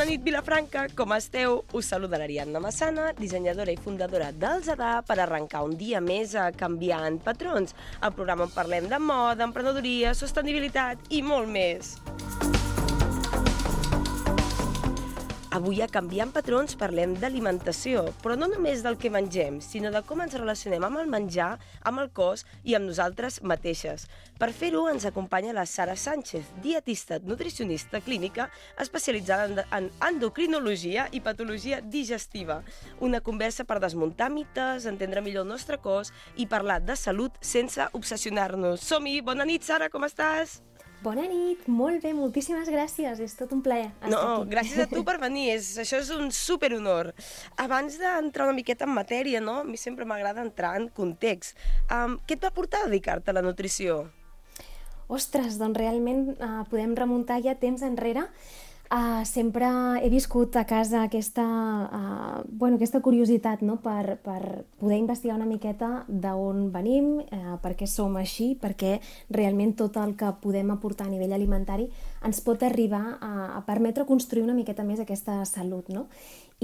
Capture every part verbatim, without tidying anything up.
nit, Vilafranca, com esteu? Us saluda l'Ariadna Massana, dissenyadora i fundadora del Zadar, per arrencar un dia més a Canviant Patrons, el programa on parlem de moda, emprenedoria, sostenibilitat i molt més. Avui a Canviant Patrons parlem d'alimentació, però no només del que mengem, sinó de com ens relacionem amb el menjar, amb el cos i amb nosaltres mateixes. Per fer-ho ens acompanya la Sara Sánchez, dietista nutricionista clínica especialitzada en endocrinologia i patologia digestiva. Una conversa per desmuntar mites, entendre millor el nostre cos i parlar de salut sense obsessionar-nos. Som-hi! Bona nit, Sara, com estàs? Bona nit, molt bé, moltíssimes gràcies, és tot un plaer estar no, aquí. No, gràcies a tu per venir, és, això és un superhonor. Abans d'entrar una miqueta en matèria, no? A mi sempre m'agrada entrar en context. Um, què et va portar a dedicar-te a la nutrició? Ostres, doncs realment uh, podem remuntar ja temps enrere. Uh, sempre he viscut a casa aquesta, uh, bueno, aquesta curiositat, no? per, per poder investigar una miqueta d'on venim, uh, per què som així, perquè realment tot el que podem aportar a nivell alimentari ens pot arribar a, a permetre construir una miqueta més aquesta salut, no?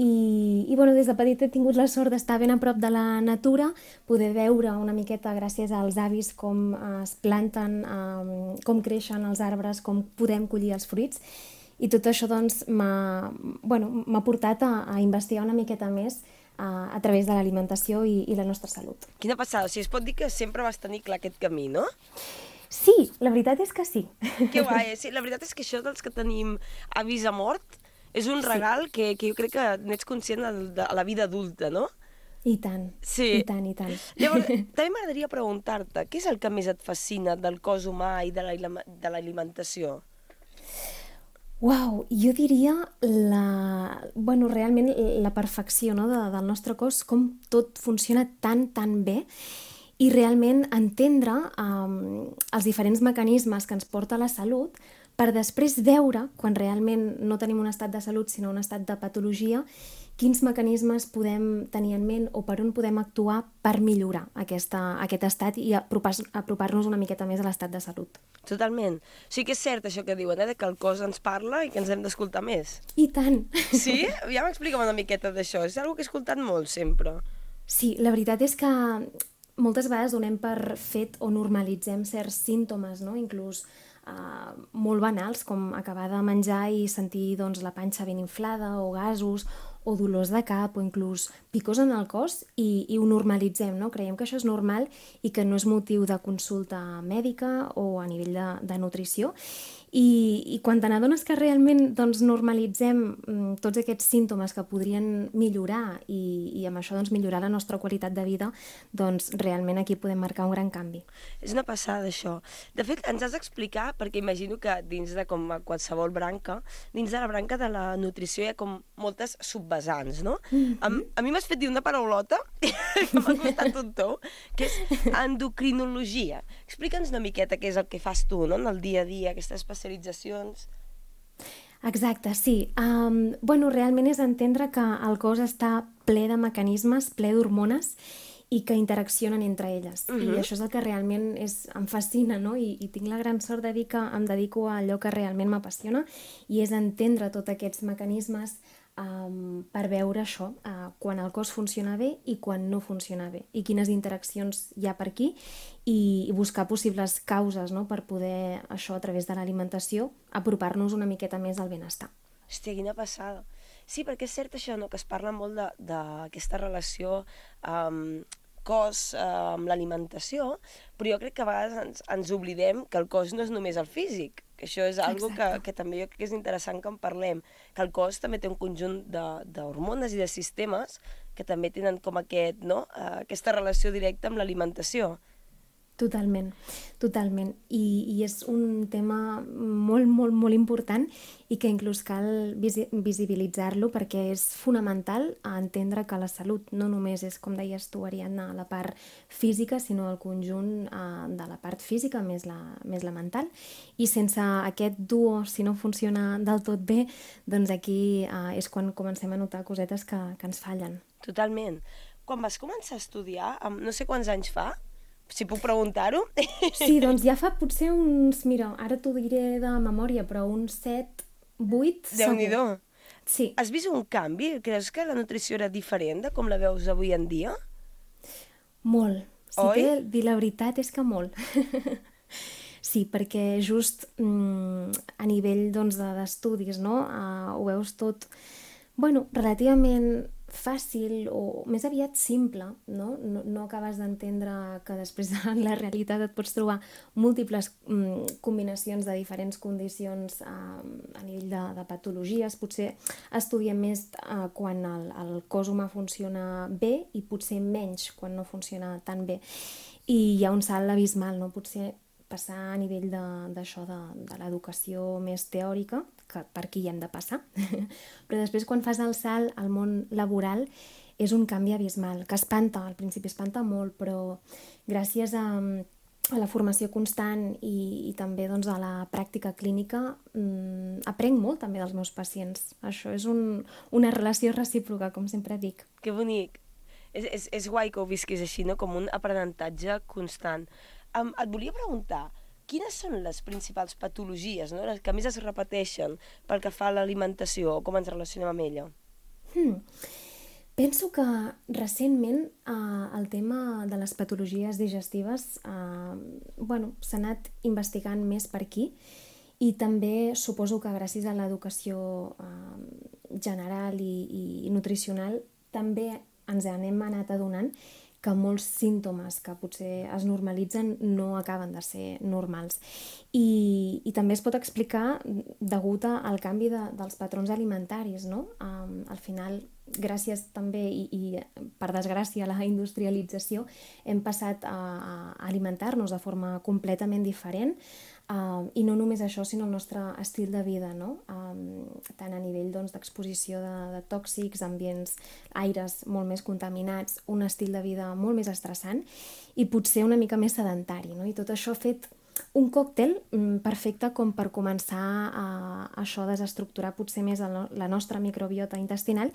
I, i bueno, des de petit he tingut la sort d'estar ben a prop de la natura, poder veure una miqueta gràcies als avis com es planten, um, com creixen els arbres, com podem collir els fruits. I tot això doncs, m'ha bueno, m'ha portat a, a investigar una miqueta més a, a través de l'alimentació i, i la nostra salut. Quina passada, o sigui, es pot dir que sempre vas tenir clar aquest camí, no? Sí, la veritat és que sí. Que guai, sí, la veritat és que això dels que tenim avis a mort és un regal sí. que, que jo crec que n'ets conscient a la vida adulta, no? I tant, sí. i tant, i tant. Llavors, també m'agradaria preguntar-te, què és el que més et fascina del cos humà i de l'alimentació? Uau, jo diria la, bueno, realment la perfecció, no? de, del nostre cos, com tot funciona tan, tan bé i realment entendre um, els diferents mecanismes que ens porta a la salut per després veure, quan realment no tenim un estat de salut sinó un estat de patologia, quins mecanismes podem tenir en ment o per on podem actuar per millorar aquesta, aquest estat i apropar-nos una miqueta més a l'estat de salut. Totalment. O sigui que és cert això que diuen, eh, que el cos ens parla i que ens hem d'escoltar més. I tant! Sí? Ja m'explica'm una miqueta d'això. És una cosa que he escoltat molt, sempre. Sí, la veritat és que moltes vegades donem per fet o normalitzem certs símptomes, no? Inclús uh, molt banals, com acabar de menjar i sentir doncs, la panxa ben inflada o gasos o dolors de cap o inclús picors en el cos i, i ho normalitzem, no? Creiem que això és normal i que no és motiu de consulta mèdica o a nivell de, de nutrició. I, i quan te n'adones que realment doncs, normalitzem mm, tots aquests símptomes que podrien millorar i, i amb això doncs, millorar la nostra qualitat de vida, doncs realment aquí podem marcar un gran canvi. És una passada, això. De fet, ens has d'explicar, perquè imagino que dins de com qualsevol branca, dins de la branca de la nutrició hi ha com moltes subvesants, no? Mm-hmm. a, a mi m'has fet dir una paraulota que m'ha costat un tou, que és endocrinologia. Explica'ns una miqueta què és el que fas tu, no?, en el dia a dia, aquestes especialitzacions. Exacte, sí. Um, bueno, realment és entendre que el cos està ple de mecanismes, ple d'hormones i que interaccionen entre elles. Uh-huh. I això és el que realment és, em fascina, no? I, i tinc la gran sort de dir que em dedico a allò que realment m'apassiona i és entendre tots aquests mecanismes um, per veure això, uh, quan el cos funciona bé i quan no funciona bé i quines interaccions hi ha per aquí i, i buscar possibles causes, no? Per poder, això a través de l'alimentació, apropar-nos una miqueta més al benestar. Hòstia, quina passada. Sí, perquè és cert això, no?, que es parla molt d'aquesta relació um, cos uh, amb l'alimentació, però jo crec que a vegades ens, ens oblidem que el cos no és només el físic, que això és algo que, que també jo crec que és interessant que en parlem, que el cos també té un conjunt d'hormones i de sistemes que també tenen com aquest, no?, uh, aquesta relació directa amb l'alimentació. Totalment, totalment. I, i és un tema molt, molt, molt important i que inclús cal visi visibilitzar-lo perquè és fonamental a entendre que la salut no només és, com deies tu, Ariadna, la part física, sinó el conjunt uh, de la part física més la, més la mental. I sense aquest duo, si no funciona del tot bé, doncs aquí uh, és quan comencem a notar cosetes que, que ens fallen. Totalment. Quan vas començar a estudiar, no sé quants anys fa, si puc preguntar-ho? Sí, doncs ja fa potser uns, mira, ara t'ho diré de memòria, però uns set, vuit segur. Déu-n'hi-do. Sí. Has vist un canvi? Creus que la nutrició era diferent de com la veus avui en dia? Molt. Si Oi? t'he de dir la veritat és que molt. Sí, perquè just mm, a nivell doncs, de- d'estudis, no? Uh, ho veus tot, bueno, relativament fàcil o més aviat simple, no? No, no acabes d'entendre que després en la realitat et pots trobar múltiples mm, combinacions de diferents condicions uh, a nivell de, de patologies. Potser estudiem més uh, quan el, el cos humà funciona bé i potser menys quan no funciona tan bé. I hi ha un salt abismal, no? Potser passar a nivell de- d'això, de, de l'educació més teòrica, que per aquí hi hem de passar, però després quan fas el salt al món laboral és un canvi abismal, que espanta, al principi espanta molt, però gràcies a, a la formació constant i, i també doncs, a la pràctica clínica mmm, aprenc molt també dels meus pacients. Això és un, una relació recíproca, com sempre dic. Que bonic. És, és, és guai que ho visquis així, no? Com un aprenentatge constant. Um, et volia preguntar, quines són les principals patologies, no? Les que més es repeteixen pel que fa a l'alimentació o com ens relacionem amb ella? Hmm. Penso que recentment eh, el tema de les patologies digestives eh, bueno, s'ha anat investigant més per aquí i també suposo que gràcies a l'educació eh, general i, i nutricional també ens n'hem anat adonant que molts símptomes que potser es normalitzen no acaben de ser normals. I, i també es pot explicar degut al canvi de, dels patrons alimentaris, no? Um, al final, gràcies també i, i per desgràcia a la industrialització, hem passat a, a alimentar-nos de forma completament diferent. Uh, I no només això, sinó el nostre estil de vida, no? Um, tant a nivell doncs, d'exposició de, de tòxics, ambients, aires molt més contaminats, un estil de vida molt més estressant i potser una mica més sedentari, no? I tot això ha fet un còctel um, perfecte com per començar a, a això a desestructurar potser més el, la nostra microbiota intestinal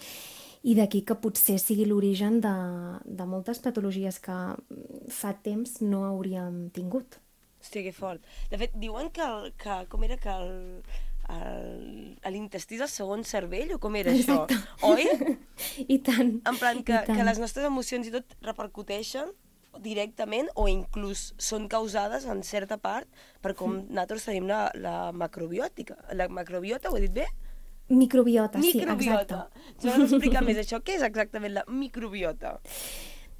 i d'aquí que potser sigui l'origen de, de moltes patologies que fa temps no hauríem tingut. Hosti, que fort. De fet, diuen que, el, que com era que el, el, l'intestí és el segon cervell, o com era Exacte. això? Oi? I tant. En plan, que, I tant. que les nostres emocions i tot repercuteixen directament o inclús són causades en certa part per com nosaltres tenim la, la macrobiòtica. La macrobiota, ho he dit bé? Microbiota, Microbiota. sí, exacte. Jo no explicar més això. Què és exactament la microbiota?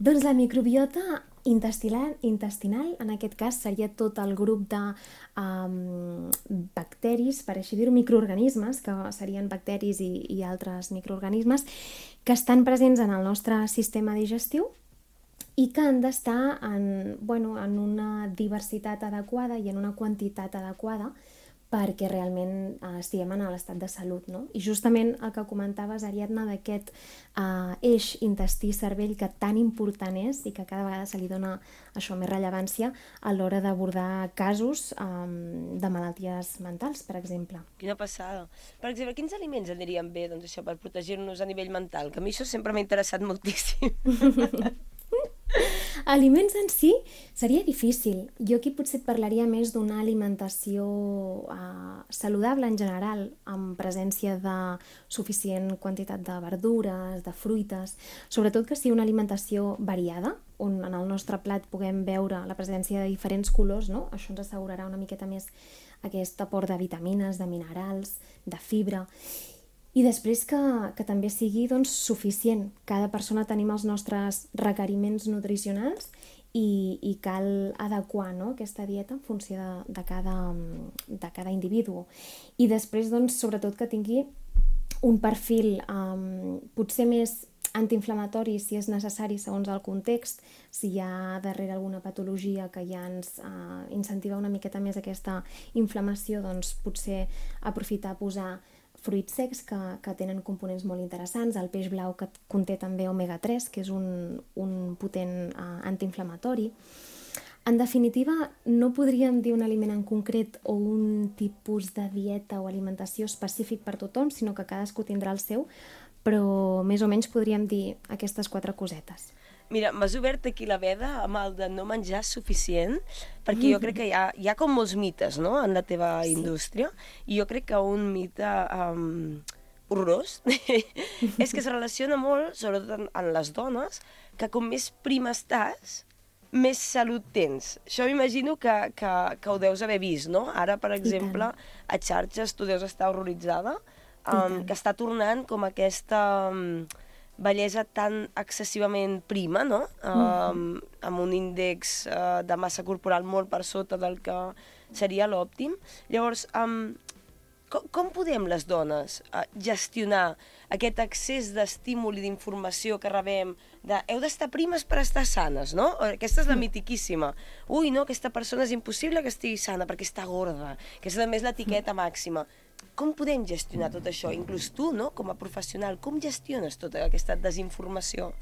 Doncs la microbiota intestinal, intestinal, en aquest cas, seria tot el grup de um, bacteris, per així dir-ho, microorganismes, que serien bacteris i, i altres microorganismes, que estan presents en el nostre sistema digestiu i que han d'estar en, bueno, en una diversitat adequada i en una quantitat adequada perquè realment eh, estiguem en l'estat de salut, no? I justament el que comentaves, Ariadna, d'aquest eh, eix intestí-cervell que tan important és i que cada vegada se li dona això més rellevància a l'hora d'abordar casos eh, de malalties mentals, per exemple. Quina passada. Per exemple, quins aliments anirien bé doncs, això, per protegir-nos a nivell mental? Que a mi això sempre m'ha interessat moltíssim. Aliments en si seria difícil. Jo aquí potser et parlaria més d'una alimentació eh, saludable en general, amb presència de suficient quantitat de verdures, de fruites, sobretot que sigui una alimentació variada, on en el nostre plat puguem veure la presència de diferents colors, no? Això ens assegurarà una miqueta més aquest aport de vitamines, de minerals, de fibra. I després que, que també sigui doncs, suficient. Cada persona tenim els nostres requeriments nutricionals i, i cal adequar, no?, aquesta dieta en funció de, de, cada, de cada individu. I després, doncs, sobretot que tingui un perfil um, potser més antiinflamatori si és necessari segons el context, si hi ha darrere alguna patologia que ja ens uh, incentiva una miqueta més aquesta inflamació, doncs potser aprofitar a posar fruits secs que, que tenen components molt interessants, el peix blau que conté també omega tres, que és un, un potent uh, antiinflamatori. En definitiva, no podríem dir un aliment en concret o un tipus de dieta o alimentació específic per tothom, sinó que cadascú tindrà el seu, però més o menys podríem dir aquestes quatre cosetes. Mira, m'has obert aquí la veda amb el de no menjar suficient, perquè jo crec que hi ha, hi ha com molts mites, no?, en la teva Sí. indústria, i jo crec que un mite um, horrorós, és que es relaciona molt, sobretot en, en les dones, que com més prima estàs, més salut tens. Això m'imagino que, que, que ho deus haver vist, no? Ara, per exemple, a xarxes tu deus estar horroritzada, um, que està tornant com aquesta um, bellesa tan excessivament prima, no? Um, mm-hmm. Amb un índex uh, de massa corporal molt per sota del que seria l'òptim. Llavors, um, com, com podem les dones uh, gestionar aquest excés d'estímul i d'informació que rebem de heu d'estar primes per estar sanes, no? Aquesta és la mitiquíssima. Ui, no, aquesta persona és impossible que estigui sana perquè està gorda, que és a més l'etiqueta màxima. Com podem gestionar tot això? Inclús tu, no?, com a professional, com gestiones tota aquesta desinformació?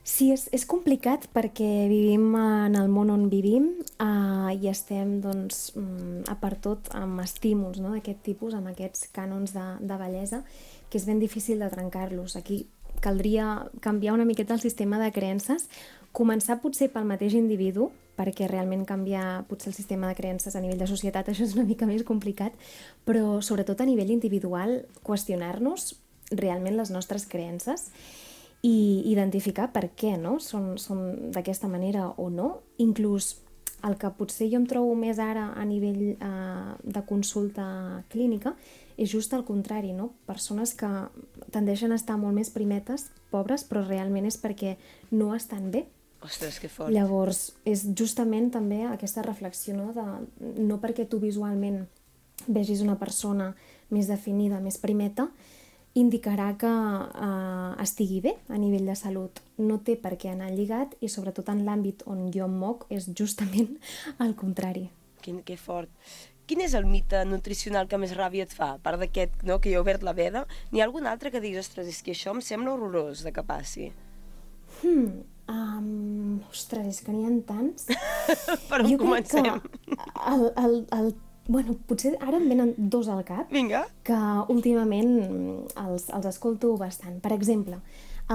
Sí, és, és complicat perquè vivim en el món on vivim uh, i estem, doncs, a per tot amb estímuls, no?, d'aquest tipus, amb aquests cànons de, de bellesa, que és ben difícil de trencar-los. Aquí caldria canviar una miqueta el sistema de creences, començar potser pel mateix individu, perquè realment canviar potser el sistema de creences a nivell de societat, això és una mica més complicat, però sobretot a nivell individual, qüestionar-nos realment les nostres creences i identificar per què, no?, són, són d'aquesta manera o no. Inclús el que potser jo em trobo més ara a nivell eh, de consulta clínica és just el contrari, no? Persones que tendeixen a estar molt més primetes, pobres, però realment és perquè no estan bé. Ostres, que fort. Llavors, és justament també aquesta reflexió, no? De, no perquè tu visualment vegis una persona més definida, més primeta, indicarà que eh, estigui bé a nivell de salut. No té per què anar lligat i sobretot en l'àmbit on jo em moc és justament el contrari. Que, que fort. Quin és el mite nutricional que més ràbia et fa? A part d'aquest, no?, que hi ha obert la veda, n'hi ha algun altre que diguis, ostres, és que això em sembla horrorós de que passi? Hmm, um, ostres, és que n'hi ha tants. Per on comencem? El, el, el, bueno, potser ara em venen dos al cap. Vinga. Que últimament els, els escolto bastant. Per exemple,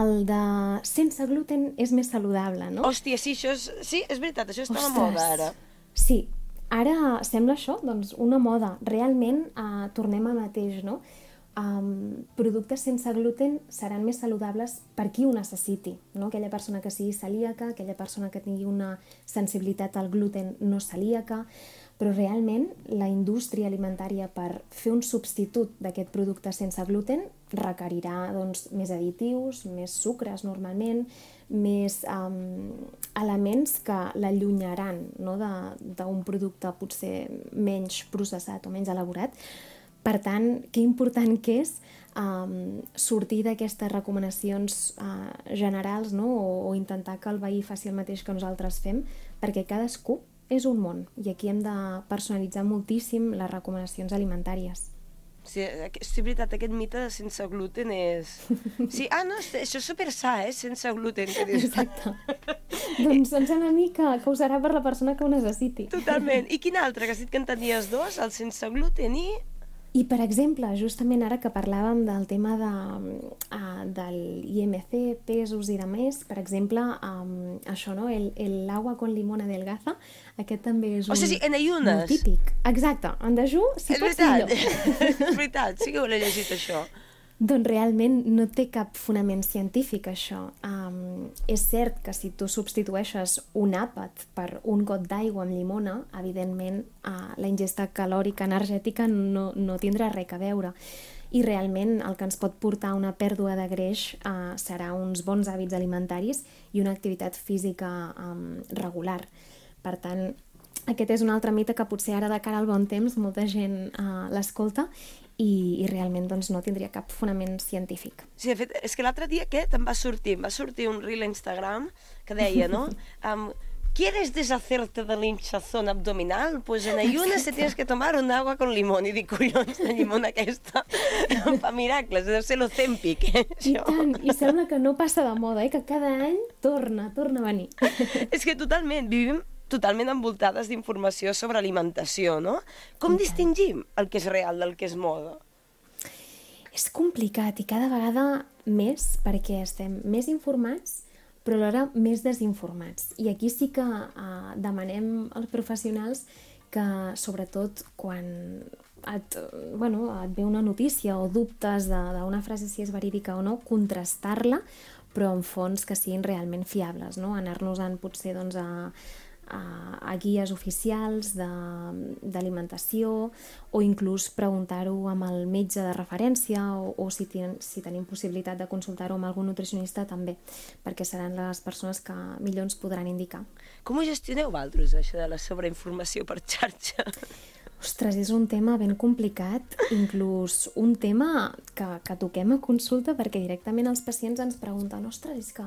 el de sense gluten és més saludable, no? Hòstia, sí, això és, sí, és veritat, això està a moda ara. Sí, ara sembla això, doncs, una moda. Realment eh, tornem al mateix, no? Um, productes sense gluten seran més saludables per qui ho necessiti, no? Aquella persona que sigui celíaca, aquella persona que tingui una sensibilitat al gluten no celíaca, però realment la indústria alimentària per fer un substitut d'aquest producte sense gluten requerirà, doncs, més additius, més sucres normalment, més um, elements que l'allunyaran, no?, d'un producte potser menys processat o menys elaborat. Per tant, que important que és um, sortir d'aquestes recomanacions uh, generals, no?, o, o intentar que el veí faci el mateix que nosaltres fem, perquè cadascú és un món i aquí hem de personalitzar moltíssim les recomanacions alimentàries. Sí, és veritat, aquest mite de sense gluten és... Sí, ah, no, això és super sa, eh, sense gluten. Que dius. Exacte. Doncs em sembla a mi que, que ho serà per la persona que ho necessiti. Totalment. I quin altre? Que has dit que en tenies dos, el sense gluten i... I, per exemple, justament ara que parlàvem del tema de, uh, del I M C, pesos i de més, per exemple, um, això, no? El, el agua con limón adelgaza, aquest també és un... O sigui, sí, en ayunes. Molt típic. Exacte, en dejú, si és pots millor. És veritat, sí que ho he llegit, això. Doncs realment no té cap fonament científic, això. Um, és cert que si tu substitueixes un àpat per un got d'aigua amb llimona, evidentment uh, la ingesta calòrica energètica no, no tindrà res a veure. I realment el que ens pot portar a una pèrdua de greix uh, serà uns bons hàbits alimentaris i una activitat física um, regular. Per tant, aquest és un altre mite que potser ara de cara al bon temps molta gent uh, l'escolta i, i realment doncs, no tindria cap fonament científic. Sí, de fet, és que l'altre dia aquest em va sortir, em va sortir un reel a Instagram que deia, no? Um, ¿Quieres deshacerte de la hinchazón abdominal? Pues en ayunas te tienes que tomar un agua con limón. I dic, collons, la llimona aquesta fa miracles, deu ser l'Ozempic, eh? I tant, i sembla que no passa de moda, eh? Que cada any torna, torna a venir. És que totalment, vivim totalment envoltades d'informació sobre alimentació, no? Com distingim el que és real del que és moda? És complicat i cada vegada més perquè estem més informats però alhora més desinformats. I aquí sí que eh, demanem als professionals que, sobretot, quan et, bueno, et ve una notícia o dubtes d'una frase si és verídica o no, contrastar-la, però en fonts que siguin realment fiables, no? Anar-nos-en potser doncs, a, a, a guies oficials d'alimentació o inclús preguntar-ho amb el metge de referència o, o si, ten, si tenim possibilitat de consultar-ho amb algun nutricionista també, perquè seran les persones que millor ens podran indicar. Com ho gestioneu vosaltres, això de la sobreinformació per xarxa? Ostres, és un tema ben complicat, inclús un tema que, que toquem a consulta perquè directament els pacients ens pregunten ostres, és que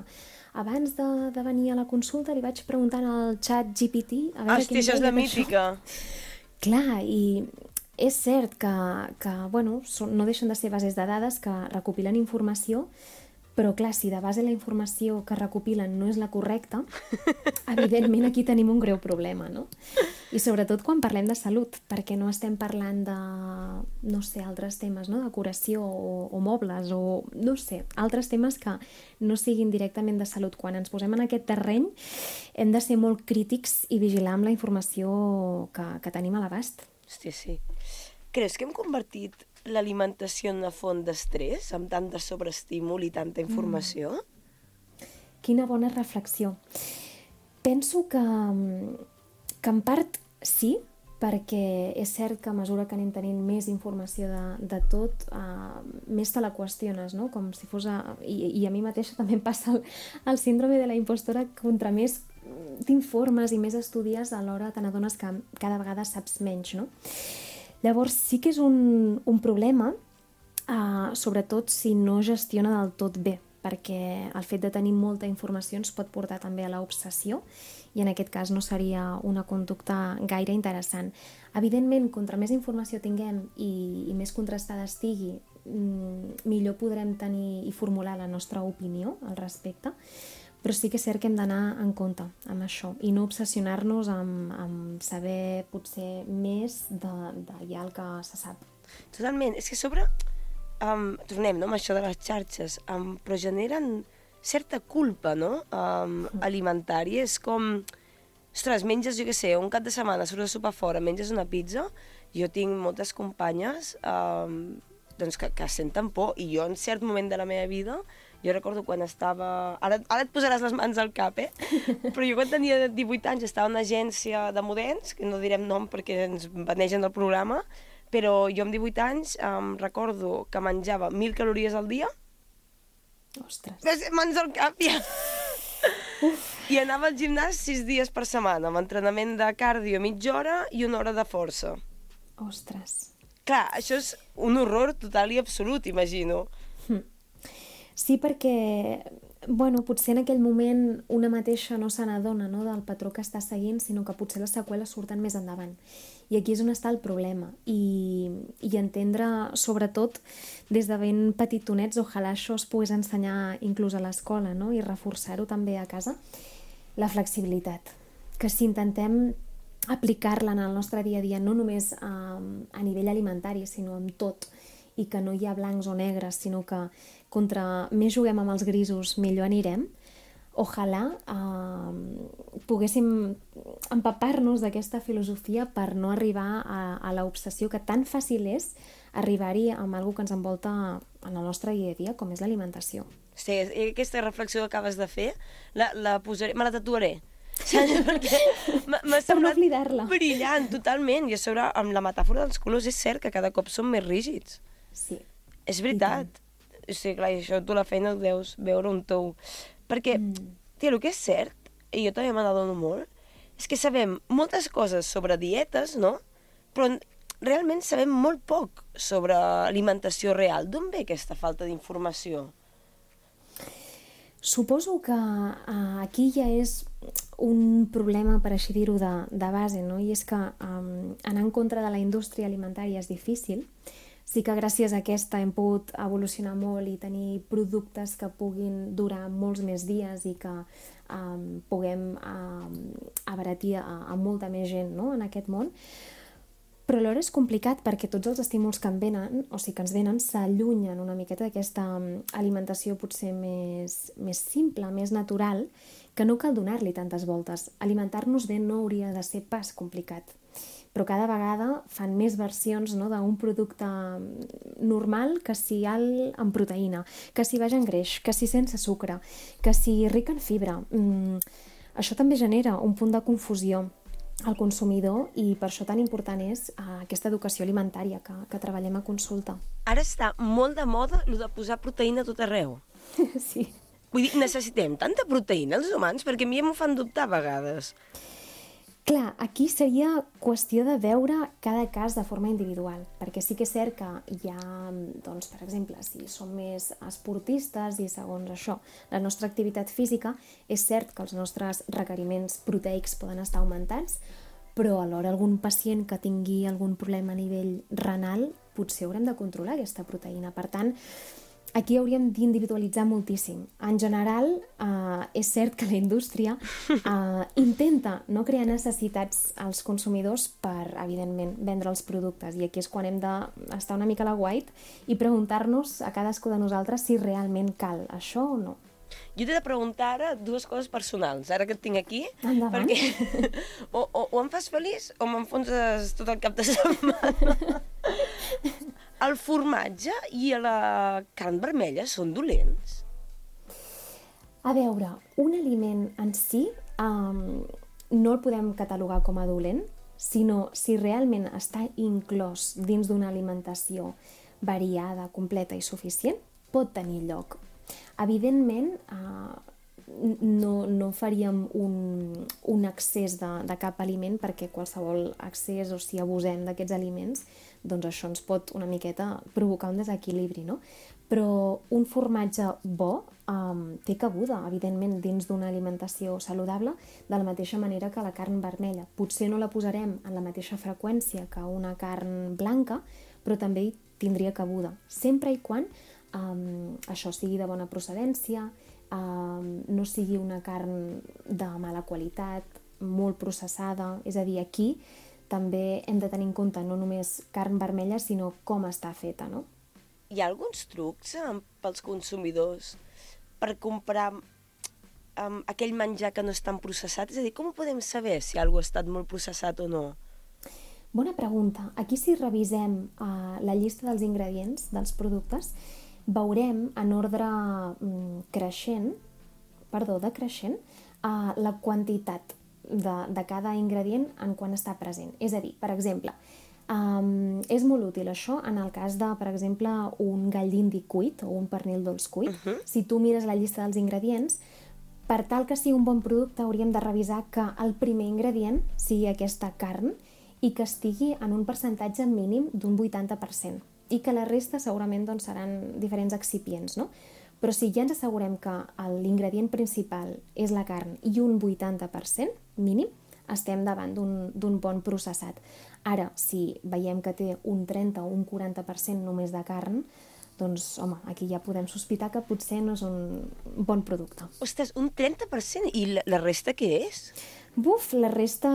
abans de, de venir a la consulta li vaig preguntant al xat G P T a veure Hosti, això és la mítica. Clar, i és cert que, que bueno, són, no deixen de ser bases de dades que recopilen informació, però clar, si de base la informació que recopilen no és la correcta, evidentment aquí tenim un greu problema, no? I sobretot quan parlem de salut, perquè no estem parlant de, no sé, altres temes, no? De curació o, o mobles o, no sé, altres temes que no siguin directament de salut. Quan ens posem en aquest terreny hem de ser molt crítics i vigilar amb la informació que, que tenim a l'abast. Hòstia, sí. Creus que hem convertit l'alimentació en una font d'estrès, amb tant de sobreestímul i tanta informació? Mm. Quina bona reflexió. Penso que, que en part sí, perquè és cert que a mesura que anem tenint més informació de, de tot, uh, més te la qüestiones, no? Com si fos... A, i, I a mi mateixa també em passa el, el síndrome de la impostora, contra més t'informes i més estudies, alhora te n'adones que cada vegada saps menys, no? Llavors sí que és un, un problema, uh, sobretot si no gestiona del tot bé, perquè el fet de tenir molta informació ens pot portar també a l'obsessió i en aquest cas no seria una conducta gaire interessant. Evidentment, contra més informació tinguem i, i més contrastada estigui, millor podrem tenir i formular la nostra opinió al respecte, però sí que és cert que hem d'anar en compte amb això i no obsessionar-nos amb, amb saber potser més de, de ja el que se sap. Totalment. És que a sobre, um, tornem no, amb això de les xarxes, um, però generen certa culpa, no? Um, alimentària. És com, ostres, menges, jo què sé, un cap de setmana, surts a sopar fora, menges una pizza. Jo tinc moltes companyes um, doncs que, que senten por i jo en cert moment de la meva vida jo recordo quan estava... Ara, ara et posaràs les mans al cap, eh? Però jo quan tenia divuit anys estava en una agència de models, que no direm nom perquè ens banegen del programa, però jo amb divuit anys em recordo que menjava mil calories al dia. Ostres. Ves, mans al cap, ja! Uf. I anava al gimnàs sis dies per setmana, amb entrenament de cardio mitja hora i una hora de força. Ostres. Clar, això és un horror total i absolut, imagino. Hm. Sí, perquè, bueno, potser en aquell moment una mateixa no se n'adona, no, del patró que està seguint, sinó que potser les seqüeles surten més endavant. I aquí és on està el problema. I, i entendre, sobretot, des de ben petitonets, ojalà això es pogués ensenyar inclús a l'escola, no? I reforçar-ho també a casa, la flexibilitat. Que si intentem aplicar-la en el nostre dia a dia, no només a, a nivell alimentari, sinó en tot, i que no hi ha blancs o negres, sinó que contra més juguem amb els grisos, millor anirem. Ojalà eh, poguéssim empapar-nos d'aquesta filosofia per no arribar a, a l'obsessió que tan fàcil és arribar-hi amb alguna que ens envolta en el nostre dia a dia, com és l'alimentació. Sí, aquesta reflexió que acabes de fer, la, la posaré, me la tatuaré. Perquè m'ha semblat no brillant, totalment. I a sobre, amb la metàfora dels colors, és cert que cada cop són més rígids. Sí. És veritat. O sigui, clar, això tu la feina ho deus veure un tou. Perquè, mm. tia, el que és cert, i jo també me n'adono molt, és que sabem moltes coses sobre dietes, no? Però realment sabem molt poc sobre alimentació real. D'on ve aquesta falta d'informació? Suposo que uh, aquí ja és un problema, per així dir-ho, de, de base, no? I és que um, anar en contra de la indústria alimentària és difícil. Sí que gràcies a aquesta hem pogut evolucionar molt i tenir productes que puguin durar molts més dies i que um, puguem um, abaratir a, a molta més gent, no? En aquest món. Però alhora és complicat perquè tots els estímuls que en venen, o sigui que ens venen, s'allunyen una miqueta d'aquesta alimentació potser més, més simple, més natural, que no cal donar-li tantes voltes. Alimentar-nos bé no hauria de ser pas complicat. però cada vegada fan més versions, no, d'un producte normal, que si alt en proteïna, que si baix en greix, que si sense sucre, que si ric en fibra. Mm, això també genera un punt de confusió al consumidor i per això tan important és uh, aquesta educació alimentària que, que treballem a consulta. Ara està molt de moda el de posar proteïna a tot arreu. Sí. Vull dir, necessitem tanta proteïna els humans? Perquè a mi m'ho fan dubtar a vegades. Clar, aquí seria qüestió de veure cada cas de forma individual, perquè sí que és cert que hi ha, doncs, per exemple, si som més esportistes i segons això, la nostra activitat física, és cert que els nostres requeriments proteics poden estar augmentats, però alhora algun pacient que tingui algun problema a nivell renal potser haurem de controlar aquesta proteïna. Per tant, aquí hauríem d'individualitzar moltíssim. En general, eh, és cert que la indústria eh, intenta no crear necessitats als consumidors per, evidentment, vendre els productes. I aquí és quan hem d'estar una mica a la guait i preguntar-nos a cadascú de nosaltres si realment cal això o no. Jo t'he de preguntar ara dues coses personals, ara que et tinc aquí. Endavant. Perquè o, o, o em fas feliç o m'enfonses tot el cap de setmana. El formatge i la carn vermella són dolents? A veure, un aliment en si um, no el podem catalogar com a dolent, sinó si realment està inclòs dins d'una alimentació variada, completa i suficient, pot tenir lloc. Evidentment, uh, no, no faríem un, un excés de, de cap aliment, perquè qualsevol excés o si abusem d'aquests aliments, doncs això ens pot una miqueta provocar un desequilibri, no? Però un formatge bo um, té cabuda, evidentment, dins d'una alimentació saludable, de la mateixa manera que la carn vermella. Potser no la posarem en la mateixa freqüència que una carn blanca, però també hi tindria cabuda, sempre i quan um, això sigui de bona procedència, um, no sigui una carn de mala qualitat, molt processada, és a dir, aquí també hem de tenir en compte no només carn vermella, sinó com està feta, no? Hi ha alguns trucs eh, pels consumidors per comprar um, aquell menjar que no és tan processat? És a dir, com ho podem saber si alguna cosa ha estat molt processat o no? Bona pregunta. Aquí si revisem uh, la llista dels ingredients dels productes, veurem en ordre um, creixent, perdó, decreixent, uh, la quantitat De, de cada ingredient en quan està present. És a dir, per exemple, um, és molt útil això en el cas de, per exemple, un gall d'indi cuit o un pernil dolç cuit. Uh-huh. Si tu mires la llista dels ingredients, per tal que sigui un bon producte hauríem de revisar que el primer ingredient sigui aquesta carn i que estigui en un percentatge mínim d'un vuitanta per cent i que la resta segurament doncs, seran diferents excipients, no? Però si ja ens assegurem que l'ingredient principal és la carn i un vuitanta per cent mínim, estem davant d'un bon processat. Ara, si veiem que té un trenta o un quaranta per cent només de carn, doncs, home, aquí ja podem sospitar que potser no és un bon producte. Ostres, un trenta per cent? I la, la resta què és? Buf, la resta,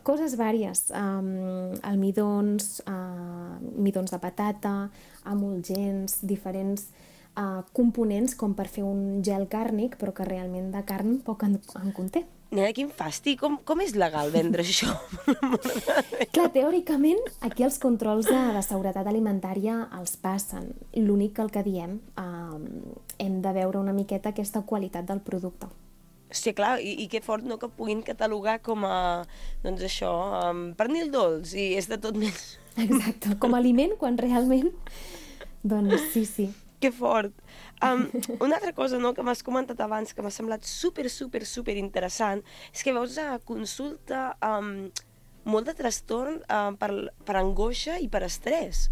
coses vàries. Um, almidons, uh, midons de patata, emulgents, diferents Uh, components com per fer un gel càrnic, però que realment de carn poc en, en conté. Nena, quin fàstic! Com, com és legal vendre això? Clar, teòricament, aquí els controls de, de seguretat alimentària els passen. L'únic que el que diem, uh, hem de veure una miqueta aquesta qualitat del producte. Sí, clar, i, i que fort no que puguin catalogar com a, doncs això, um, pernil dolç, i és de tot més. Exacte, com a aliment, quan realment, doncs sí, sí. Que fort. Um, una altra cosa, no, que m'has comentat abans, que m'ha semblat super, super, super interessant, és que veus a consulta um, molt de trastorn uh, per, per angoixa i per estrès.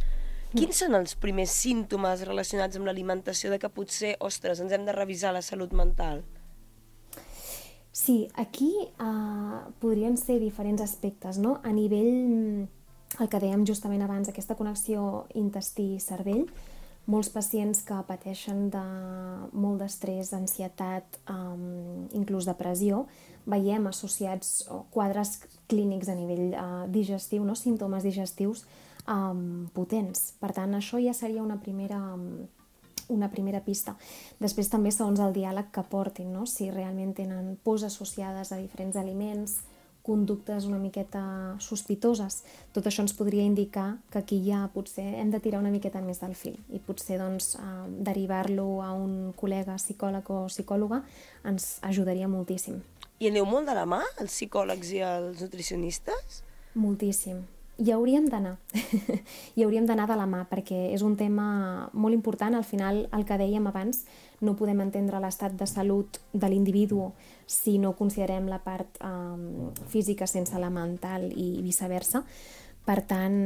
Quins són els primers símptomes relacionats amb l'alimentació de que potser, ostres, ens hem de revisar la salut mental? Sí, aquí uh, podrien ser diferents aspectes, no? A nivell, el que dèiem justament abans, aquesta connexió intestí-cervell, molts pacients que pateixen de molt d'estrès, ansietat, um, inclús depressió, veiem associats quadres clínics a nivell uh, digestiu, no? Símptomes digestius um, potents. Per tant, això ja seria una primera, um, una primera pista. Després també segons el diàleg que portin, no? Si realment tenen pors associades a diferents aliments, conductes una miqueta sospitoses. Tot això ens podria indicar que aquí ja potser hem de tirar una miqueta més del fil i potser doncs, eh, derivar-lo a un col·lega psicòleg o psicòloga ens ajudaria moltíssim. I aneu molt de la mà, els psicòlegs i els nutricionistes? Moltíssim. Hi hauríem d'anar. Hi hauríem d'anar de la mà perquè és un tema molt important. Al final, el que dèiem abans, no podem entendre l'estat de salut de l'individu si no considerem la part eh, física sense la mental i viceversa. Per tant,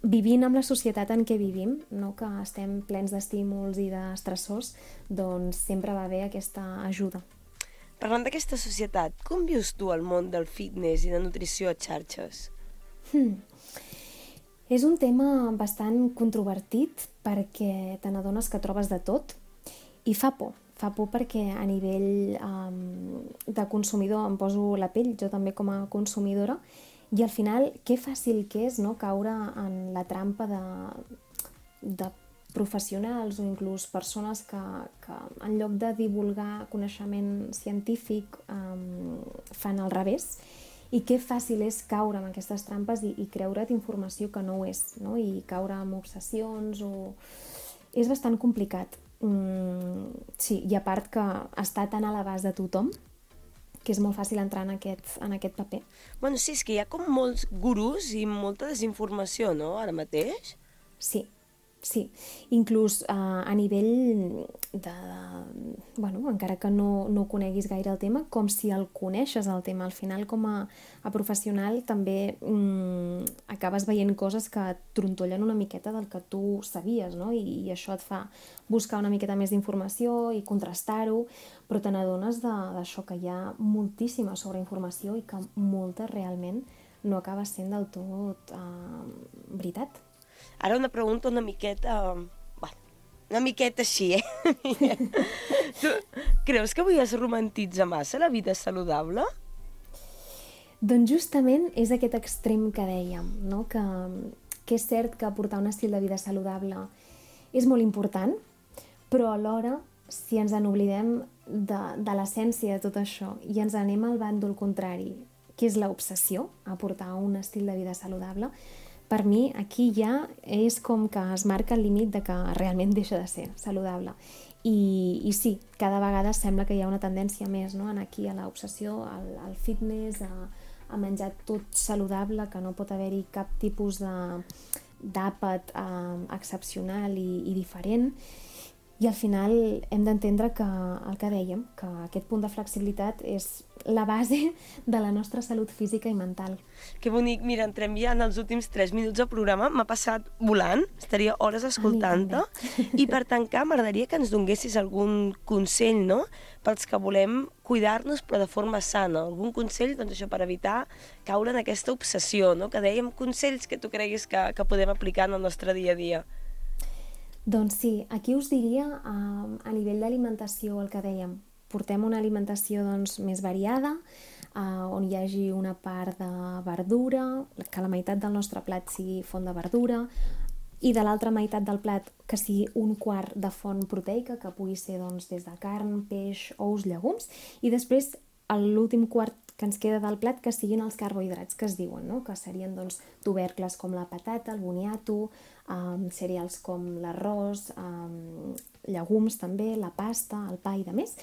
vivint amb la societat en què vivim, no, que estem plens d'estímuls i d'estressors, doncs sempre va bé aquesta ajuda. Parlant d'aquesta societat, com vius tu el món del fitness i de nutrició a xarxes? Hmm. És un tema bastant controvertit perquè te n'adones que trobes de tot i fa por. Fa por perquè a nivell um, de consumidor em poso la pell, jo també com a consumidora, i al final que fàcil que és, no, caure en la trampa de, de professionals o inclús persones que, que en lloc de divulgar coneixement científic um, fan al revés. I que fàcil és caure en aquestes trampes i, i creure't informació que no ho és, no? I caure en obsessions o... És bastant complicat. Mm, sí, i a part que està tan a l'abast de tothom que és molt fàcil entrar en aquest, en aquest paper. Bueno, sí, és que hi ha com molts gurus i molta desinformació, no?, ara mateix? Sí, sí. Inclús eh, a nivell de... Bueno, encara que no, no coneguis gaire el tema, com si el coneixes el tema. Al final, com a, a professional, també mm, acabes veient coses que et trontollen una miqueta del que tu sabies, no? I, i això et fa buscar una miqueta més d'informació i contrastar-ho, però te n'adones d'això, que hi ha moltíssima sobreinformació i que molta realment no acaba sent del tot eh, veritat. Ara una pregunta una miqueta... Bueno, una miqueta així, eh? Tu creus que avui es romantitza massa la vida saludable? Doncs justament és aquest extrem que dèiem, no? Que, que és cert que portar un estil de vida saludable és molt important, però alhora, si ens en oblidem de, de l'essència de tot això i ens anem al bàndol contrari, que és l'obsessió a portar un estil de vida saludable, per mi aquí ja és com que es marca el límit de que realment deixa de ser saludable. I, i sí, cada vegada sembla que hi ha una tendència més, no?, en aquí a l'obsessió, al, al fitness, a, a menjar tot saludable, que no pot haver-hi cap tipus d'àpat eh, excepcional i, i diferent. I al final hem d'entendre que el que dèiem, que aquest punt de flexibilitat és la base de la nostra salut física i mental. Que bonic, mira, entrem ja en els últims tres minuts del programa, m'ha passat volant, estaria hores escoltant-te, i per tancar m'agradaria que ens donessis algun consell, no?, pels que volem cuidar-nos però de forma sana, algun consell, doncs això, per evitar caure en aquesta obsessió, no?, que dèiem consells que tu creguis que, que podem aplicar en el nostre dia a dia. Doncs sí, aquí us diria eh, a nivell d'alimentació el que dèiem. Portem una alimentació doncs, més variada, eh, on hi hagi una part de verdura, que la meitat del nostre plat sigui font de verdura, i de l'altra meitat del plat que sigui un quart de font proteica, que pugui ser doncs, des de carn, peix, ous, llegums, i després l'últim quart que ens queda del plat que siguin els carbohidrats que es diuen, no?, que serien doncs, tubercles com la patata, el boniato, um, cereals com l'arròs, um, llegums també, la pasta, el pa i de més.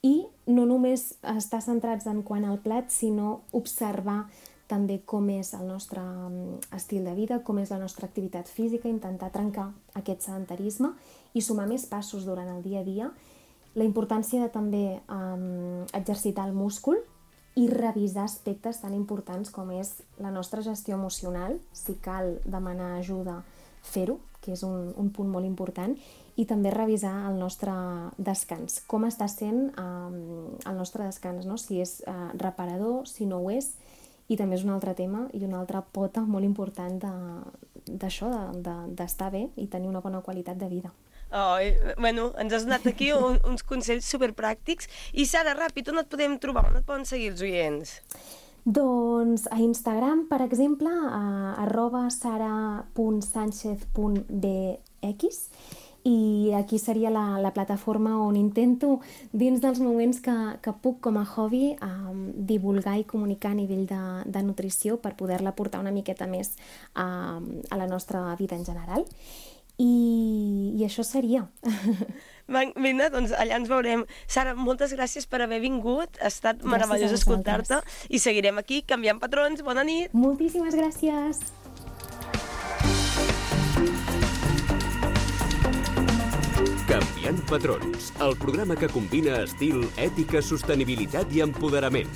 I no només estar centrats en quant al plat, sinó observar també com és el nostre estil de vida, com és la nostra activitat física, intentar trencar aquest sedentarisme i sumar més passos durant el dia a dia. La importància de també um, exercitar el múscul i revisar aspectes tan importants com és la nostra gestió emocional, si cal demanar ajuda, fer-ho, que és un, un punt molt important, i també revisar el nostre descans, com està sent um, el nostre descans, no? Si és uh, reparador, si no ho és, i també és un altre tema i una altra pota molt important d'això, d'estar de, de, bé i tenir una bona qualitat de vida. Oh, bueno, ens has donat aquí un, uns consells superpràctics. I Sara, ràpid, on et podem trobar? On et poden seguir els oients? Doncs a Instagram, per exemple, a arroba sara punt sánchez punt b x, i aquí seria la, la plataforma on intento, dins dels moments que, que puc com a hobby, um, divulgar i comunicar a nivell de, de nutrició per poder-la portar una miqueta més a, a la nostra vida en general. I, i això seria. Vinga, doncs allà ens veurem. Sara, moltes gràcies per haver vingut. Ha estat meravellós escoltar-te i seguirem aquí canviant patrons. Bona nit. Moltíssimes gràcies. Canviant patrons, el programa que combina estil, ètica, sostenibilitat i empoderament.